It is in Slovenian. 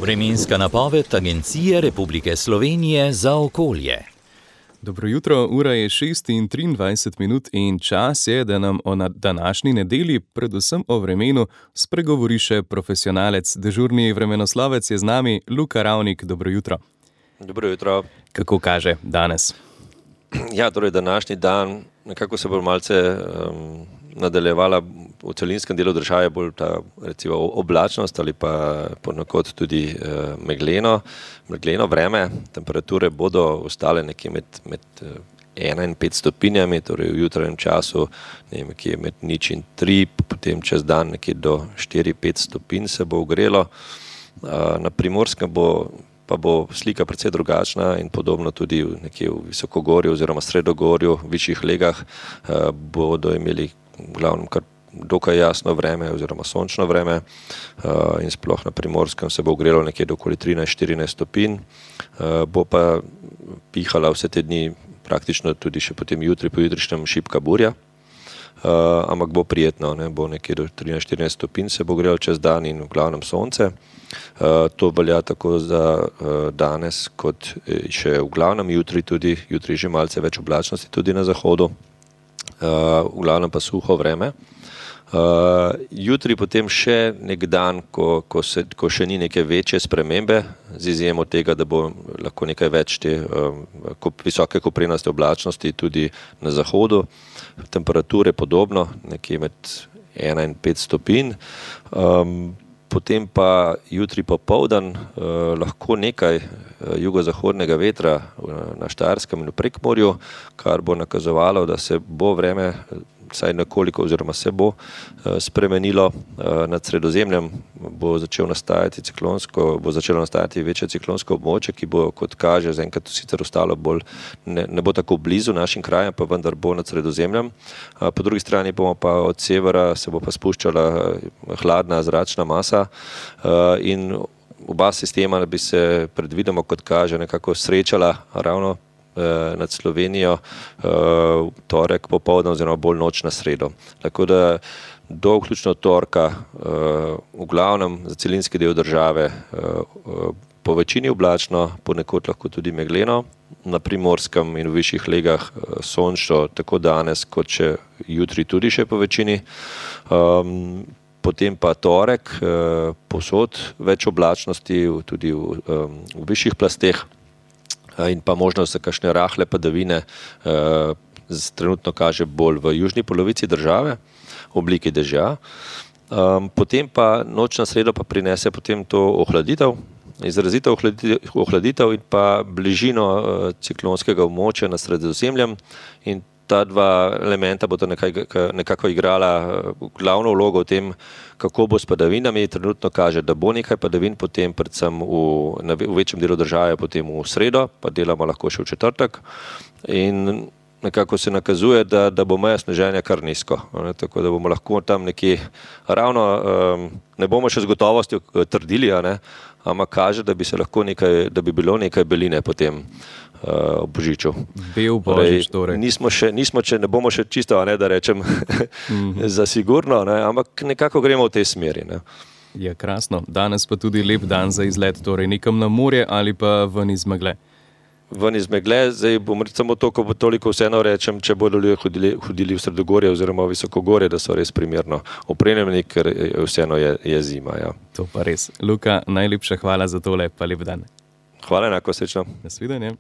Vremenska napoved Agencije Republike Slovenije za okolje. Dobro jutro, ura je 6:23 in čas je, da nam o današnji nedelji, predvsem o vremenu, spregovori še profesionalec. Dežurni vremenoslovec je z nami, Luka Ravnik. Dobro jutro. Dobro jutro. Kako kaže danes? Ja, torej današnji dan nekako se bo malce nadaljevala v celinskem delu države bolj ta recimo oblačnost ali pa ponekod tudi megleno vreme. Temperature bodo ostale nekje med 1 in 5 stopinjami, torej v jutranjem času nekje med 0 in 3, potem čez dan nekje do 4-5 stopinj se bo ogrelo. Na Primorskem pa bo slika precej drugačna in podobno tudi nekje v Visokogorju oziroma Sredogorju, v višjih legah bodo imeli v glavnem kar dokaj jasno vreme oziroma sončno vreme in sploh na Primorskem se bo ogrelo nekje do okoli 13-14 stopinj. Bo pa pihala vse te dni praktično tudi še potem jutri, pojutrišnjem šibka burja. Ampak bo prijetno, bo nekje do 13-14 stopinj se bo ogrelo čez dan in v glavnem sonce. To velja tako za danes kot še v glavnem jutri že malce več oblačnosti tudi na zahodu, v glavnem pa suho vreme. Jutri potem še nek dan, ko še ni neke večje spremembe, z izjemo tega, da bo lahko nekaj več te visoke koprenaste oblačnosti tudi na zahodu. Temperature podobno, nekje med 1 in 5 stopinj. Potem pa jutri popoldan lahko nekaj jugozahodnega vetra na Štajerskem in v Prekmurju, kar bo nakazovalo, da se bo vreme vsaj nekoliko oziroma se bo spremenilo. Nad Sredozemljem bo začelo nastajati večje ciklonsko območje, ki bo, kot kaže, zaenkrat sicer ostalo bolj, ne bo tako blizu našim krajem, pa vendar bo nad Sredozemljem. Po drugi strani bomo pa od severa se bo pa spuščala hladna zračna masa in oba sistema bi se predvidoma, kot kaže, nekako srečala ravno nad Slovenijo torek popoldan oziroma bolj noč na sredo. Tako da do vključno torka v glavnem za celinski del države po večini oblačno, ponekod lahko tudi megleno, na Primorskem in v višjih legah sončno tako danes kot še jutri tudi še po večini. Potem pa torek povsod več oblačnosti tudi v višjih plasteh in pa možnost za kakšne rahle padavine trenutno kaže bolj v južni polovici države v obliki dežja. Potem pa noč na sredo pa prinese potem to ohladitev, izrazito ohladitev in pa bližino ciklonskega območja nad Sredozemljem in ta dva elementa bodo nekako igrala glavno vlogo v tem, kako bo s padavinami. Trenutno kaže, da bo nekaj padavin potem predvsem v večjem delu države potem v sredo, pa delamo lahko še v četrtek. In nekako se nakazuje, da bo meja sneženja kar nizko. Tako da bomo lahko tam nekje ravno, ne bomo še z gotovostjo trdili, ampak kaže, da bi bilo nekaj beline potem ob Božiču. Bel Božič torej. Ne bomo še čisto, da rečem, za sigurno, ampak nekako gremo v tej smeri. Je krasno. Danes pa tudi lep dan za izlet, torej nekam na morje ali pa ven iz megle. Ven iz megle, zdaj bom samo toliko vseeno rečem, če bodo ljudje hodili v Sredogorje oziroma v Visokogorje, da so res primerno opremljeni, ker vseeno je zima. Ja. To pa res. Luka, najlepša hvala za tole, pa lep dan. Hvala, enako, srečno. Nasvidenje.